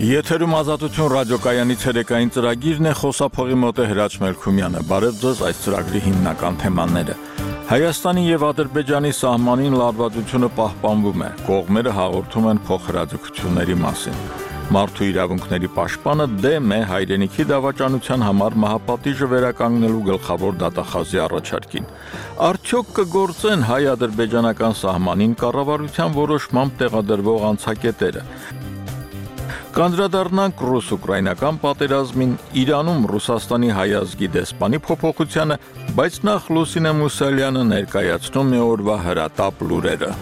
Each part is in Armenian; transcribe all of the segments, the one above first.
Եթերում ազատություն ռադիոկայանի ցերեկային ծրագիրն է, խոսափողի մոտ է Հրաչ Մելքումյանը։ Բարև ձեզ, այս ծրագրի հիմնական թեմաները։ Հայաստանի եւ Ադրբեջանի սահմանին լարվածությունը պահպանվում է։ Կողմերը հաղորդում են փոխհրաձգությունների մասին։ Մարդու իրավունքների պաշտպանը դեմ է հայրենիքի դավաճանության համար մահապատիժը վերականգնելու գլխավոր դատախազի առաջարկին։ Արդյոք կգործեն հայ-ադրբեջանական սահմանին կառավարության որոշմամբ տեղադրվող անցակետերը։ Կանդրադառնանք ռուս-ուկրաինական պատերազմին, Իրանում Ռուսաստանի հայազգի դեսպանի փոփոխությանը, բայց նախ Լուսինե Մուսալյանը ներկայացնում է օրվա հրատապ լուրերը։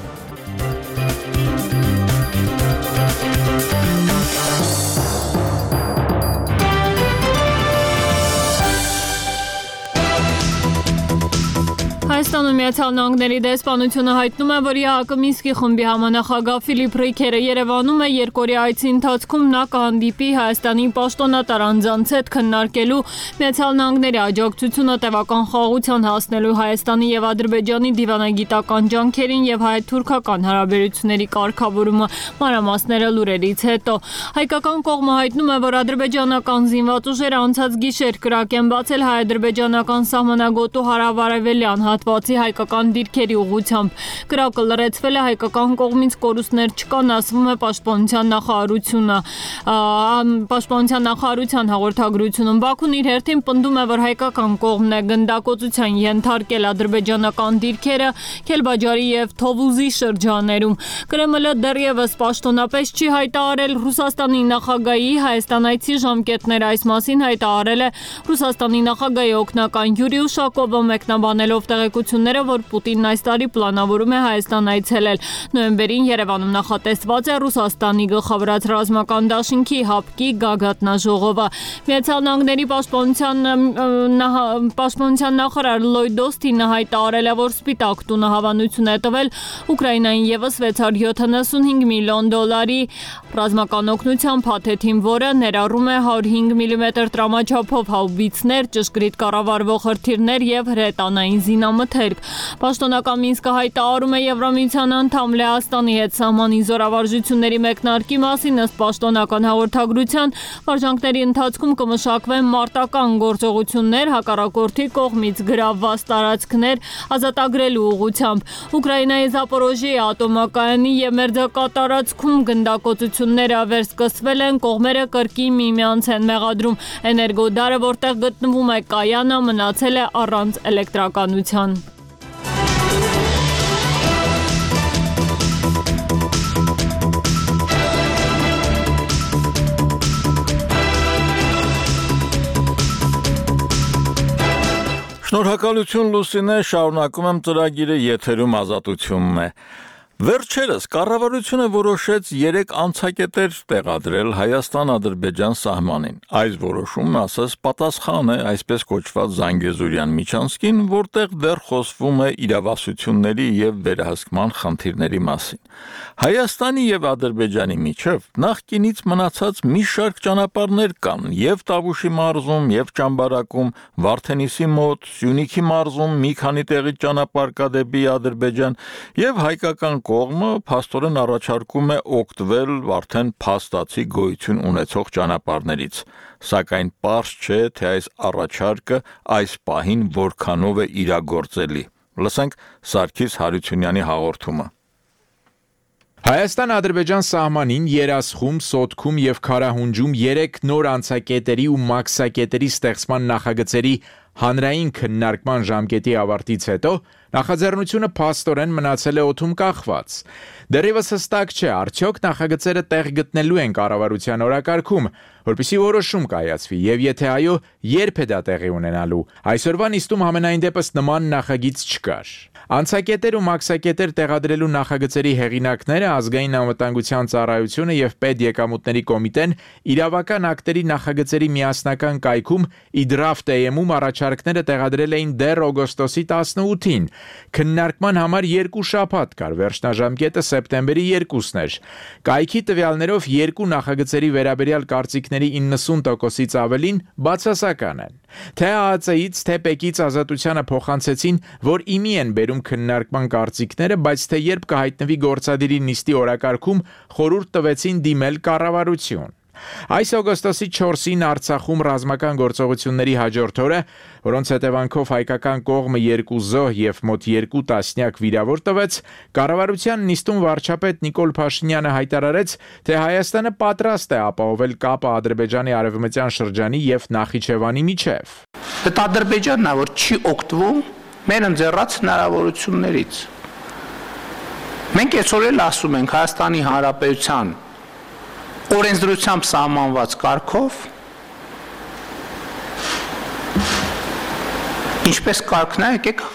Հայաստանում Միացյալ Նահանգների դեսպանությունը հայտնում է, որ ԵԱՀԿ Մինսկի խմբի համանախագահ Ֆիլիպ Ռիքերը Երևանում է երկօրյա այցի ընթացքում նա կհանդիպի Հայաստանի պաշտոնատար անձանց հետ քննարկելու Միացյալ Նահանգների աջակցությունը տևական խաղաղության հասնելու Հայաստանի եւ Ադրբեջանի դիվանագիտական ջանքերին եւ հայ-թուրքական հարաբերությունների կարգավորումը մանրամասները լուրերից հետո։ Հայկական կողմը հայտնում է, որ ադրբեջանական զինված ուժերը անցած գիշեր կրակ են բացել հայ-ադրբեջանական սահմանագոտու հարավարևելյան հատվածի հայկական դիրքերի ուղղությամբ։ Կրակը լրացվել է հայկական կողմից, կորուստներ չկան, ասվում է Պաշտպանության նախարարության հաղորդագրությունում։ Բաքուն իր հերթին պնդում է, որ հայկական կողմն է գնդակոծության ենթարկել ադրբեջանական դիրքերը Քելբաջարի եւ Թովուզի շրջաներում։ Կրեմլը դեռևս պաշտոնապես չի հայտարարել Ռուսաստանի նախագահի Հայաստան այցի ժամկետները, այս մասին հայտարարել է Ռուսաստանի նախագահի օգնական Յուրի Ուշակովը, մեկնաբանելով տեղեկությունները, որ Պուտինն այս տարի պլանավորում է Հայաստան այցելել։ Նոյեմբերին Երևանում նախատեսված է Ռուսաստանի գլխավորած ռազմական դաշինքի ՀԱՊԿ-ի գագաթնաժողովը։ Միացյալ Նահանգների պաշտպանության նախարար Լոյդ Օսթինը հայտարարել է, որ Սպիտակ տունը հավանություն է տվել Ուկրաինային եւս 675 միլիոն դոլարի ռազմական օգնության փաթեթին, որը ներառում է 105 մմ տրամաչափով հաուբիցներ, ճշգրիտ կառավարվող հրթիռներ եւ հրետանային զինամթերք։ Պաշտոնական Մինսկը հայտարարում է Եվրամիության անդամ Լեհաստանի հետ սահմանի զորավարժությունների մեկնարկի մասին, ըստ պաշտոնական հաղորդագրության, վարժանքների ընթացքում կմշակվեն մարտական գործողություններ հակառակորդի կողմից գրավված տարածքներ ազատագրելու ուղղությամբ։ Ուկրաինայի Զապորոժիե ատոմակայանի եւ մերձակատարածքում գնդակոծությունները վերսկսվել են, կողմերը կրկին միմյանց են մեղադրում։ Էներգոդարը, որտեղ գտնվում է կայանը, մնացել է առանց էլեկտրականության։ Շնորհակալություն Լուսինե, շարունակում եմ ծրագիրը, եթերում ազատությունն է։ Վերջերս կառավարությունը որոշեց 3 անցակետեր տեղադրել Հայաստան-Ադրբեջան սահմանին։ Այս որոշումն ասես պատասխան է այսպես կոչված Զանգեզուրյան միջանցքին, որտեղ դեռ խոսվում է իրավասությունների եւ վերահսկման խնդիրների մասին։ Հայաստանի եւ Ադրբեջանի միջև նախկինից մնացած մի շարք ճանապարհներ կան եւ Տավուշի մարզում, եւ Ճամբարակում, Վարդենիսի մոտ, Սյունիքի մարզում մի քանի տեղի ճանապարհ կա դեպի Ադրբեջան եւ հայկական կողմը փաստորեն առաջարկում է օգտվել արդեն փաստացի գոյություն ունեցող ճանապարհներից, սակայն պարզ չէ, թե այս առաջարկը այս պահին որքանով է իրագործելի։ Լսենք Սարգիս Հարությունյանի հաղորդումը։ Հայաստան-Ադրբեջան սահմանին Երասխում, Սոտքում եւ Քարահունջում 3 նոր անցակետերի ու մաքսակետերի ստեղծման նախագծերի հանրային քննարկման ժամկետի ավարտից հետո նախաձեռնությունը փաստորեն մնացել է օդում կախված։ Դեռևս հստակ չէ, արդյոք նախագծերը տեղ գտնելու են կառավարության օրակարգում, որպեսզի որոշում կայացվի, եւ եթե այո, երբ է դա տեղի ունենալու։ Այսօրվա նիստում համենայն դեպս նման նախագիծ չկար։ Անցակետեր ու մաքսակետեր տեղադրելու նախագծերի հեղինակները Ազգային անվտանգության ծառայությունը եւ Պետեկամուտների կոմիտեն իրավական ակտերի նախագծերի միասնական կայքում իդրաֆտ-ում առաջարկները տեղադրել էին դեռ օգոստոսի 18-ին։ Քննարկման համար 2 շաբաթ կար, վերջնաժամկետը սեպտեմբերի 2-ն էր։ Կայքի տվյալներով 2 նախագծերի վերաբերյալ կարծիքների 90%-ից ավելին բացասական են։ Թե ԱԱԾ-ից, թե ՊԵԿ-ից ազատությանը փոխանցեցին, որ իմի են բերում քննարկման կարծիքները, բայց թե երբ կհայտնվի գործադիրի նիստի օրակարգում, խորհուրդ տվեցին դիմել կառավարություն։ Այս օգոստոսի 4-ին Արցախում ռազմական գործողությունների հաջորդ օրը, որոնց հետևանքով հայկական կողմը 2 զոհ եւ մոտ 2 տասնյակ վիրավոր տվեց, կառավարության նիստում վարչապետ Նիկոլ Փաշինյանը հայտարարեց, թե Հայաստանը պատրաստ է ապահովել կապը Ադրբեջանի արևմտյան շրջանի եւ Նախիջևանի միջև։ Դա Ադրբեջանն է, որ չի օգտվում մեր ընձեռած հնարավորություններից։ Մենք այսօր էլ ասում ենք Հայաստանի Հանրապետության օրենսդրությամբ սահմանված կարգով, ինչպես կարգն է, եկեք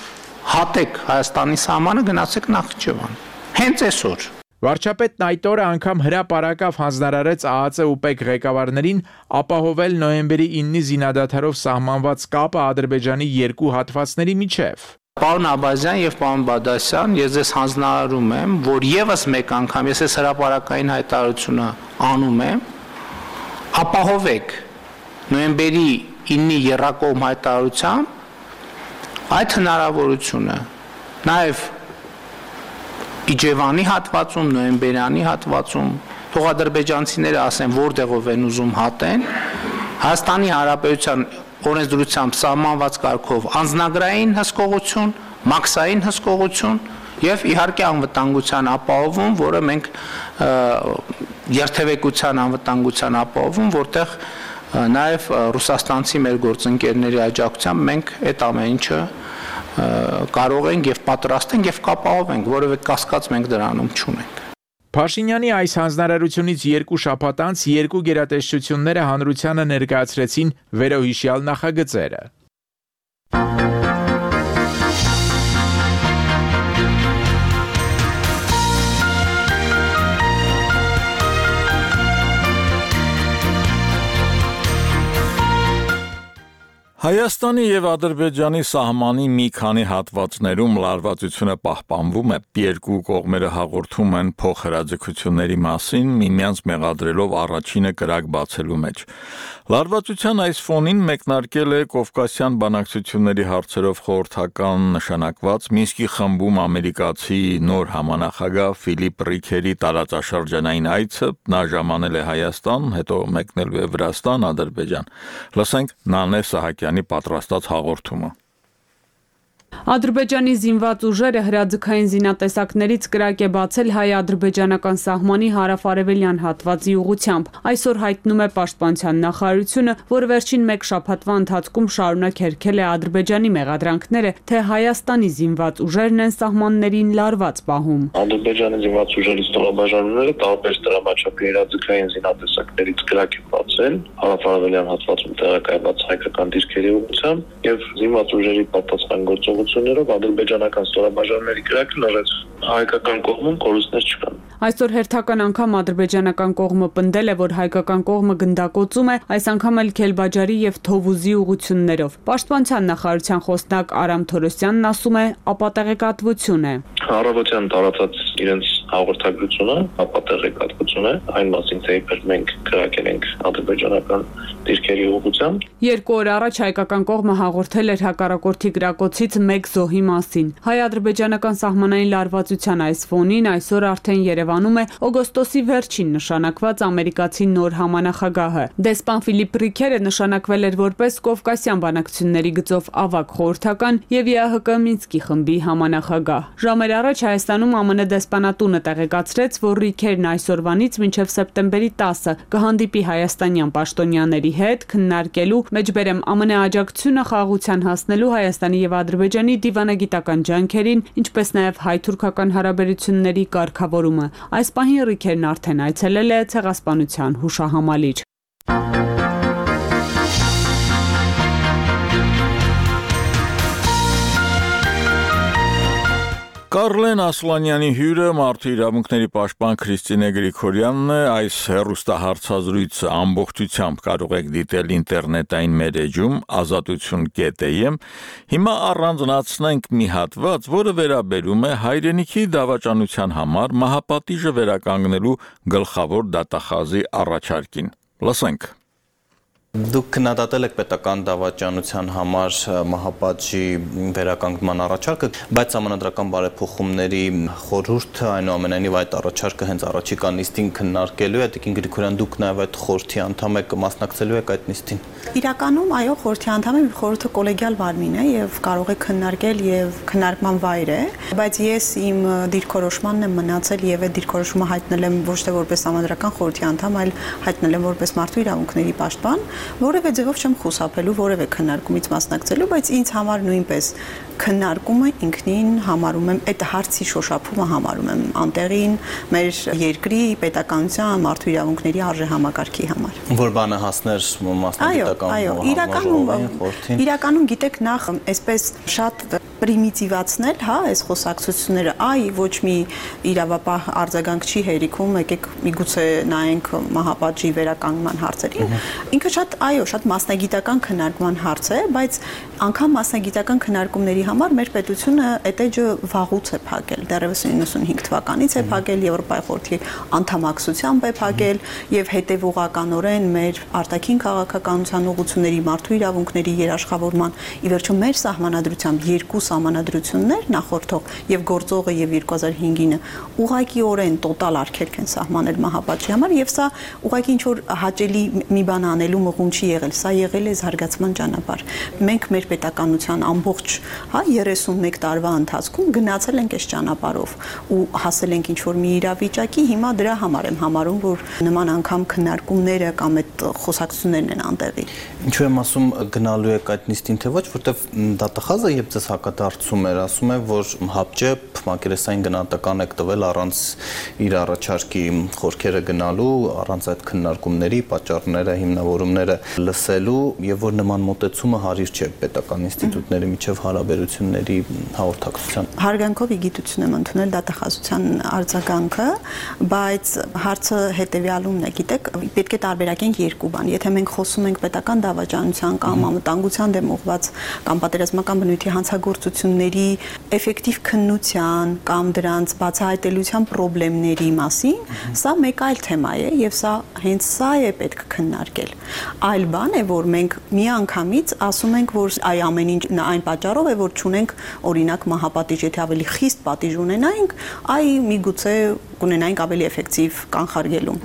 հատեք Հայաստանի սահմանը, գնացեք Նախիջևան։ Հենց այսօր։ Վարչապետն այդ օրը անգամ հրապարակավ հանձնարարեց ԱԱԾ ՈՒՊԵԿ ղեկավարներին ապահովել նոյեմբերի 9-ի զինադադարով սահմանված կապը Ադրբեջանի երկու հատվածների միջև։ Պարոն Աբազյան եւ պարոն Բադասյան, ես ձեզ հանձնարարում եմ, որ եւս մեկ անգամ ես այս հրապարակային հայտարարությունը անում եմ, ապահովեք նոյեմբերի 9-ի եռակողմ հայտարարությամբ այդ հնարավորությունը, նաեւ Իջևանի հատվածում, նոյեմբերյանի հատվածում, թող ադրբեջանցիները ասեն, որտեղով են ուզում հատեն, Հայաստանի Հանրապետության օրենսդրությամբ սահմանված կարգով անձնագրային հսկողություն, մաքսային հսկողություն եւ իհարկե անվտանգության ապահովում, որը մենք երթևեկության անվտանգության ապահովում, որտեղ նաեւ ռուսաստանցի մեր գործընկերների աջակցությամբ մենք այդ ամեն ինչը կարող ենք եւ պատրաստ ենք եւ կապահովենք, որովհետեւ կասկած մենք դրանում չունենք։ Փաշինյանի այս հանձնարարությունից 2 շաբաթ անց երկու գերատեսչությունները հանրությանը ներկայացրեցին վերոհիշյալ նախագծերը։ Հայաստանի եւ Ադրբեջանի սահմանի մի քանի հատվածներում լարվածությունը պահպանվում է, երկու կողմերը հաղորդում են փոխհրաձգությունների մասին, միմյանց մեղադրելով առաջինը կրակ բացելու մեջ։ Լարվածության այս ֆոնին մեկնարկել է Կովկասյան բանակցությունների հարցերով խորհրդական նշանակված Մինսկի խմբում ամերիկացի նոր համանախագահ Ֆիլիպ Ռիքերի տարածաշրջանային այցը, նա ժամանել է Հայաստան, հետո մեկնել է Վրաստան, Ադրբեջան։ Լսենք Նանե Սահակյանի պատրաստած հաղորդումը։ Ադրբեջանի զինված ուժերը հրաձգային զինատեսակներից կրակ է բացել հայ-ադրբեջանական սահմանի հարավ-արևելյան հատվածի ուղղությամբ։ Այսօր հայտնում է Պաշտպանության նախարարությունը, որ վերջին 1 շաբաթվա ընթացքում շարունակ հերքել է Ադրբեջանի մեղադրանքները, թե Հայաստանի զինված ուժերն են սահմաններին լարված պահում։ Ադրբեջանի զինված ուժերի ստորաբաժանումները տարբեր դրամաչափի հրաձգային զինատեսակներից կրակ են բացել հարավ-արևելյան հատվածում տեղակայված հայկական դիրքերի ուղղությամբ եւ զինված ուժերի պատասխան գործողություններով ադրբեջանական ստորաբաժանումների կրակը լրացվել։ Հայկական կողմում կորուստներ չկան։ Այսօր հերթական անգամ ադրբեջանական կողմը պնդել է, որ հայկական կողմը գնդակոծում է, այս անգամ էլ Քելբաջարի եւ Թովուզի ուղություններով։ Պաշտպանության նախարարության խոսնակ Արամ Թորոսյանն ասում է, ապատեղեկատվություն է։ Առավոտյան տարածած իրենց հաղորդագրությունը ապատեղեկատվություն է, այն մասին, թե իբր մենք կրակել ենք ադրբեջանական դիրքերի ուղղությամբ։ 2 օր առաջ հայկական կողմը հաղորդել էր հակառակորդի գրակոցից 1 զոհի մասին։ Հայ-ադրբեջանական սահմանային լարվածության այս ֆոնին այսօր արդեն Երևանում է օգոստոսի վերջին նշանակված ամերիկացի նոր համանախագահը։ Դեսպան Ֆիլիպ Ռիքերը նշանակվել էր որպես Կովկասյան բանակցությունների գծով ավագ խորհրդական եւ ԵԱՀԿ Մինսկի խմբի համանախագահ։ Ժամեր առաջ Հայաստանում ԱՄՆ դեսպանատունը տեղեկացրեց, որ Ռիքերն այսօրվանից մինչև սեպտեմբերի 10-ը կհանդիպի հայաստանյան պաշտոնյաների հետ քննարկելու մեջբերեմ ԱՄՆ աջակցությունը խաղաղության հասնելու Հայաստանի եւ Ադրբեջանի դիվանագիտական ջանքերին, ինչպես նաեւ հայ-թուրքական հարաբերությունների կարգավորումը։ Այս պահին Ռիքերն արդեն այցելել է ցեղասպանության հուշահամալիր։ Կարլեն Ասլանյանի հյուրը մարդու իրավունքների պաշտպան Քրիստինե Գրիգորյանն է, այս հեռուստահարցազրույցը ամբողջությամբ կարող եք դիտել ինտերնետային մեր էջում azatutun.am։ Հիմա առանձնացնենք մի հատված, որը վերաբերում է հայրենիքի դավաճանության համար մահապատիժը վերականգնելու գլխավոր դատախազի առաջարկին։ Լսենք։ Դուք քննադատել եք պետական դավաճանության համար մահապատժի վերականգնման առաջարկը, բայց համանդրական բարեփոխումների խորհուրդը այնուամենայնիվ այդ առաջարկը հենց առաջիկա նիստին քննարկելու է, Տիկին Գրիգորյան, դուք նաև այդ խորհրդի անդամ եք, մասնակցելու եք այդ նիստին։ Իրականում այո, խորհրդի անդամ եմ, խորհուրդը կոլեգիալ մարմին է եւ կարող է քննարկել եւ քննարկման վայր է, բայց ես իմ դիրքորոշմանն եմ մնացել եւ այդ դիրքորոշումը հայտնել եմ ոչ թե որպես համանդրական խորհրդի անդամ, այլ հայտնել եմ որպես մարդու իրավունքների պաշտպան, որևէ ձևով չեմ խուսափելու որևէ քննարկումից մասնակցելու, բայց ինձ համար նույնպես քննարկումը ինքնին համարում եմ այդ հարցի շոշափումը համարում եմ անտեղին մեր երկրի պետականության մարդու իրավունքների արժեհամակարգի համար։ Որ բանը հասներ մասնագիտական իրականում գիտեք նախ այսպես շատ պրիմիտիվացնել, հա, այս խոսակցությունները, ոչ մի իրավապահ արձագանք չի հերիքում, եկեք միգուցե նայենք մահապատժի վերականգնման հարցերին։ Ինքը շատ մասնագիտական քննարկման հարց է, բայց անգամ մասնագիտական քննարկումների համար մեր պետությունը այդ էջը վաղուց է փակել, դեռևս 95 թվականից է փակել, Եվրոպայի խորհրդի անդամակցությամբ է փակել եւ հետեւողականորեն մեր արտաքին քաղաքականության ուղղությունների, մարդու իրավունքների երաշխավորման, ի վերջո մեր սահմանադրությամբ երկու սահմանադրություններ նախորդող եւ գործողը եւ 2005-ը ուղղակիորեն տոտալ արգելք են սահմանել մահապատժի համար եւ սա ուղղակի ինչ որ հաճելի մի բան անելու մղում չի եղել, սա եղել է զարգացման ճանապարհ։ Մենք մեր պետականության ամբողջ 31 տարվա ընթացքում գնացել ենք այս ճանապարհով ու հասել ենք ինչ որ մի իրավիճակի, հիմա դրա համար եմ համարում, որ նման անգամ քննարկումները կամ այդ խոսակցություններն են անտեղի։ Ինչու եմ ասում գնալու եք այդ նիստին թե ոչ, որտեվ դատախազը երբ ձեզ հակադարձում էր, ասում է, որ հապճեպ մակերեսային գնահատական եք տվել առանց իր առաջարկի խորքերը գնալու, առանց այդ քննարկումների, պատճառները, հիմնավորումները լսելու եւ որ նման մոտեցումը հարիր չէ պետական ինստիտուտների միջև հարաբերությունների հաղորդակցության։ Հարգանքով ի գիտություն եմ ընդունել դատախազության արձագանքը, բայց հարցը հետեւյալումն է, գիտեք, պետք է տարբերակենք երկու բան։ Եթե մենք խոսում ենք պետական դավաճանության կամ անվտանգության դեմ ուղղված կամ պատերազմական բնույթի հանցագործությունների էֆեկտիվ քննության կամ դրանց բացահայտելիության խնդիրների մասին, սա մեկ այլ թեմա է եւ սա հենց սա է պետք քննարկել։ Այլ բան է, որ մենք միանգամից ասում ենք, որ այ ամեն ինչ այն պատճառով է, որ չունենք օրինակ մահապատիժ, եթե ավելի խիստ պատիժ ունենայինք, միգուցե կունենայինք ավելի էֆեկտիվ կանխարգելում։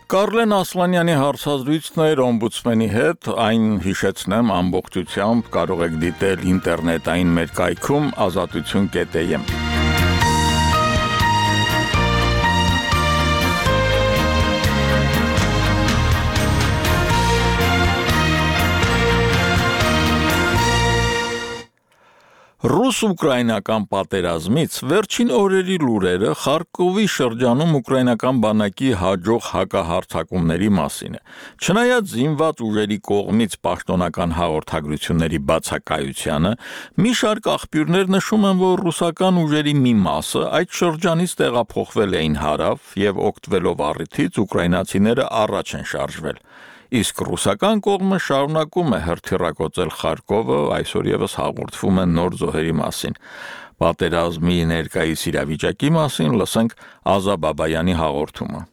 Կարլեն Ասլանյանի հարցազրույցն էր օմբուդսմենի հետ, այն հիշեցնեմ ամբողջությամբ կարող եք դիտել ինտերնետային մեր կայքում azatutun.am։ Ռուս-ուկրաինական պատերազմից վերջին օրերի լուրերը Խարկովի շրջանում ուկրաինական բանակի հաջող հակահարձակումների մասին է։ Չնայած զինված ուժերի կողմից պաշտոնական հաղորդագրությունների բացակայությանը, մի շարք աղբյուրներ նշում են, որ ռուսական ուժերի մի մասը այդ շրջանից տեղափոխվել էին հարավ եւ օգտվելով առիթից ուկրաինացիները առաջ են շարժվել։ Իսկ ռուսական կողմը շարունակում է հրթիռակոծել Խարկովը, այսօր եւս հաղորդվում են նոր զոհերի մասին։ Պատերազմի ներկայիս իրավիճակի մասին լսենք Ազա Բաբայանի հաղորդումը։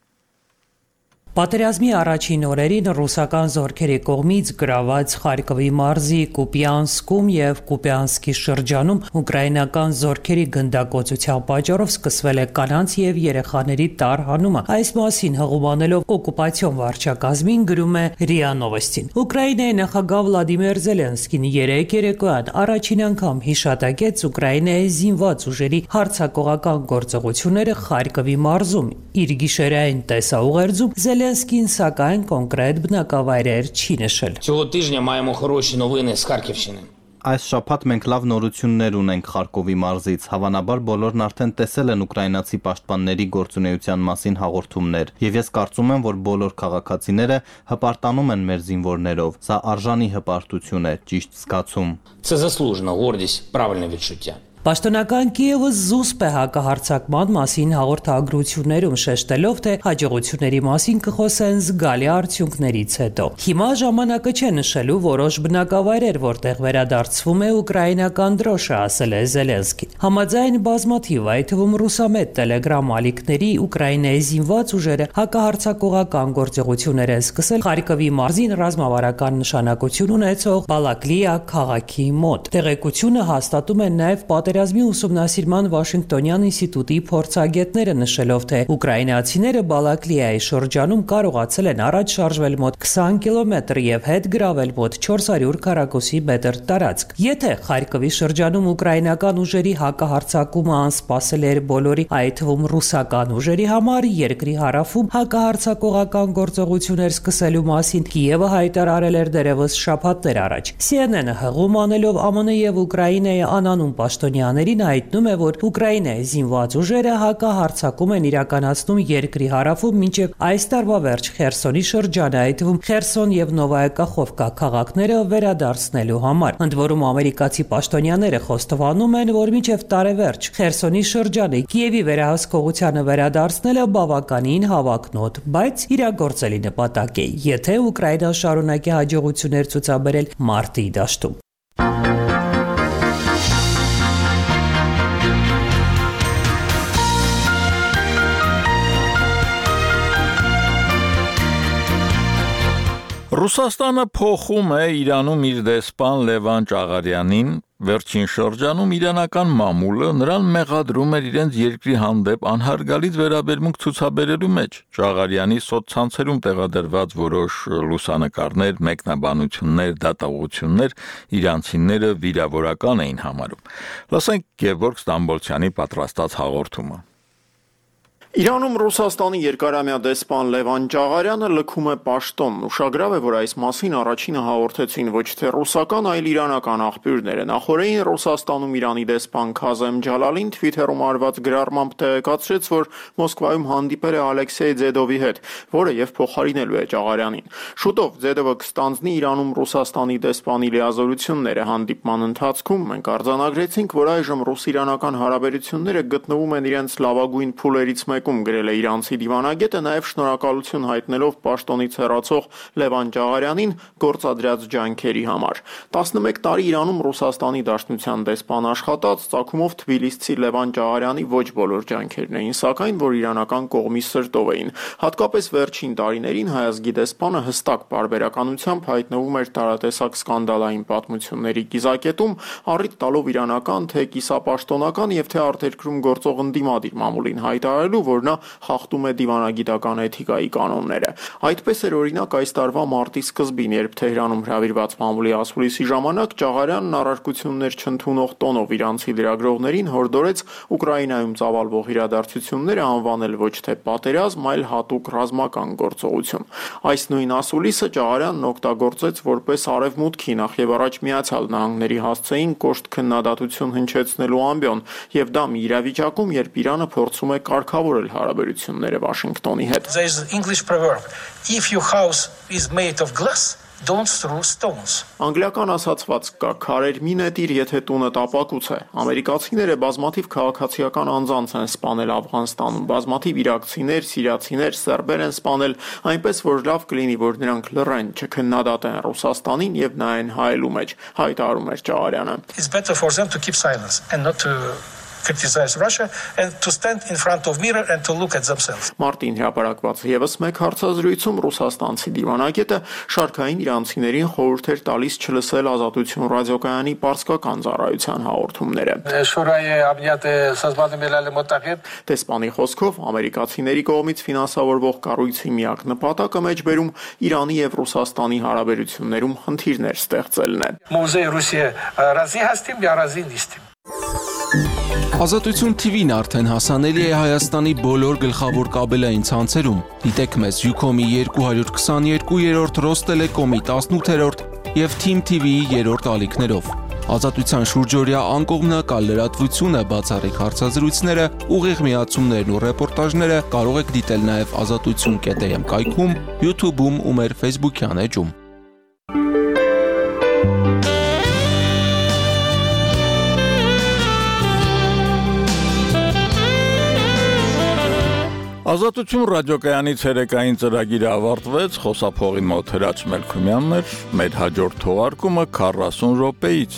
Պատերազմի առաջին օրերին ռուսական զորքերի կողմից գրաված Խարկովի մարզի Կուպյանսկում եւ Կուպյանսկի շրջանում ուկրաինական զորքերի գնդակոծության պատճառով սկսվել է կանանց եւ երեխաների տարհանումը։ Այս մասին հղումանելով օկուպացիոն վարչակազմին գրում է ՌԻԱ Նովոստին։ Ուկրաինայի նախագահ Վլադիմիր Զելենսկին երեկոյան առաջին անգամ հիշատակեց Ուկրաինայի զինված ուժերի հարձակողական գործողությունները Խարկովի մարզում։ Իր գիշերային տեսաուղերձում Զելենսկին սակայն կոնկրետ բնակավայրեր չի նշել։ Цього тижня маємо хороші новини з Харківщини։ Այս շաբաթ մենք լավ նորություններ ունենք Խարկովի մարզից։ Հավանաբար բոլորն արդեն տեսել են ուկրաինացի պաշտպանների գործունեության մասին հաղորդումներ, եւ ես կարծում եմ, որ բոլոր քաղաքացիները հպարտանում են մեր զինվորներով։ Սա արժանի հպարտություն է, ճիշտ զգացում։ Це заслужена гордість, правильне відчуття։ Պաշտոնական Կիևը զուսպ է հակահարձակման մասին հաղորդագրություններում շեշտելով, թե հաջողությունների մասին կխոսեն զգալի արդյունքներից հետո։ Հիմա ժամանակը չէ նշելու որոշ բնակավայրեր, որտեղ վերադարձվում է ուկրաինական դրոշը, ասել է Զելենսկին։ Համաձայն բազմաթիվ, այդ թվում ռուսամետ Telegram ալիքների Ուկրաինայի զինված ուժերը հակահարձակողական գործողություններ են սկսել Խարկովի մարզին ռազմավարական նշանակություն ունեցող Բալակլիա քաղաքի մոտ։ Տեղեկությունը հաստատում են նաև Պատերազմի ուսումնասիրման Վաշինգտոնյան ինստիտուտի փորձագետները, նշելով, թե ուկրաինացիները Բալակլիայի շրջանում կարողացել են առաջ շարժվել մոտ 20 կիլոմետր եւ հետ գրավել մոտ 400 քառակուսի մետր տարածք։ Եթե Խարկովի շրջանում ուկրաինական ուժերի հակահարձակումը անսպասել էր բոլորի, այդ թվում ռուսական ուժերի համար, երկրի հարավում հակահարձակողական գործողություններ սկսելու մասին Կիևը հայտարարել էր դեռևս շաբաթներ առաջ։ CNN-ը հղում անելով ԱՄՆ եւ Ուկրաինայի անանուն պաշտոնյաներին հայտնում է, որ Ուկրաինայի զինված ուժերը հակահարձակում են իրականացնում երկրի հարավում մինչև այս տարվա վերջ Խերսոնի շրջանը, այդ թվում Խերսոն եւ Նովայա Կախովկա քաղաքները վերադարձնելու համար։ Ընդ որում ամերիկացի պաշտոնյաները խոստովանում են, որ մինչև տարեվերջ Խերսոնի շրջանը Կիևի վերահսկողությանը վերադարձնելը բավականին հավակնոտ, բայց իրագործելի նպատակ է, եթե Ուկրաինան շարունակի հաջողություններ ցուցաբերել մարտի դաշտում։ Ռուսաստանը փոխում է Իրանում իր դեսպան Լևան Ճաղարյանին, վերջին շրջանում իրանական մամուլը նրան մեղադրում էր իրենց երկրի հանդեպ անհարգալից վերաբերմունք ցուցաբերելու մեջ։ Ճաղարյանի սոցցանցերում տեղադրված որոշ լուսանկարներ, մեկնաբանություններ, դատողություններ իրանցիները վիրավորական էին համարում։ Լսենք Գևորգ Ստամբոլցյանի պատրաստած հաղորդումը։ Իրանում Ռուսաստանի երկարամյա դեսպան Լևան Ճաղարյանը լքում է պաշտոն։ Ուշագրավ է, որ այս մասին առաջինը հաղորդեցին ոչ թե ռուսական, այլ իրանական աղբյուրները։ Նախորդին Ռուսաստանում Իրանի դեսպան Քազեմ Ջալալին Twitter-ում արված գրառմամբ տեղեկացրեց, որ Մոսկվայում հանդիպել է Ալեքսեյ Ձեդովի հետ, որը եւ փոխարինելու է Ճաղարյանին։ Շուտով Ձեդովը կստանձնի Իրանում Ռուսաստանի դեսպանի լիազորությունները։ Հանդիպման ընթացքում մենք արձանագրեցինք, որ այժմ ռուս-իրանական հարաբերությունները գտնվում են իրենց լավագույն փուլերից գրել է իրանցի դիվանագետը, նաև շնորհակալություն հայտնելով պաշտոնից հեռացող Լևան Ճաղարյանին գործադրած ջանքերի համար։ 11 տարի Իրանում Ռուսաստանի Դաշնության դեսպան աշխատած, ծագումով թբիլիսցի Լևան Ճաղարյանի ոչ բոլոր ջանքերն էին, սակայն որ իրանական կողմի սրտով էին։ Հատկապես վերջին տարիներին հայազգի դեսպանը հստակ պարբերականությամբ հայտնվում էր տարատեսակ սկանդալային պատմությունների կիզակետում, առիթ տալով իրանական, թե կիսապաշտոնական եւ թե արտերկրում գործող ընդդիմադիր մամուլին հայտարարելու, որ նա խախտում է դիվանագիտական էթիկայի կանոնները։ Այդպես էր օրինակ այս տարվա մարտի սկզբին, երբ Թեհրանում հրավիրված մամուլի ասուլիսի ժամանակ Ճաղարյանն առարկություններ չընդունող տոնով իրանցի լրագրողներին հորդորեց Ուկրաինայում ծավալվող իրադարձությունները անվանել ոչ թե պատերազմ, այլ հատուկ ռազմական գործողություն։ Այս նույն ասուլիսը Ճաղարյանն օգտագործեց որպես արևմուտքի, նախ եւ առաջ Միացյալ Նահանգների հասցեին կոշտ քննադատություն հնչեցնելու ամբիոն, եւ դա մի իրավիճակում, երբ Իրանը փորձում է կարգավորել հարաբերությունները Վաշինգտոնի հետ։ There is an English proverb: if your house is made of glass, don't throw stones. Անգլիական ասացված կա՝ քարեր մի նետիր, եթե տունը տապակուց է։ Ամերիկացիները բազմաթիվ քաղաքացիական անձանց են սպանել Աֆղանստանում, բազմաթիվ իրաքցիներ, սիրիացիներ, սերբեր են սպանել, այնպես որ լավ կլինի, որ նրանք լռեն, չքննադատեն Ռուսաստանին եւ նայեն հայելու մեջ, հայտարարում էր Ճաղարյանը։ It's better for them to keep silence and not to criticize Russia and to stand in front of mirror and to look at themselves. Մարտին հրապարակված եւս մեկ հարցազրույցում ռուսաստանցի դիվանագետը շարքային իրանցիներին խորհուրդ էր տալիս չլսել Ազատություն ռադիոկայանի պարսկական ծառայության հաղորդումները։ Դեսպանի խոսքով ամերիկացիների կողմից ֆինանսավորվող կառույցի միակ նպատակը մեջբերում Իրանի եւ Ռուսաստանի հարաբերություններում խնդիրներ ստեղծելն է։ Ազատություն TV-ն արդեն հասանելի է Հայաստանի բոլոր գլխավոր կաբելային ցանցերում։ Դիտեք մեզ Ucom-ի 222-րդ, Ռոստելեկոմի 18-րդ եւ Team TV-ի 3-րդ ալիքներով։ Ազատության շուրջօրյա անկողմնակալ լրատվությունը, բացառիկ հարցազրույցները, ուղիղ միացումներն ու ռեպորտաժները կարող եք դիտել նաեւ azatutsun.am կայքում, YouTube-ում ու մեր Facebook-յան էջում։ Ազատություն ռադիոկայանի ցերեկային ծրագիրը ավարտվեց, խոսափողի մոտ Հրաչ Մելքումյանն էր, մեր հաջորդ թողարկումը 40 րոպեից։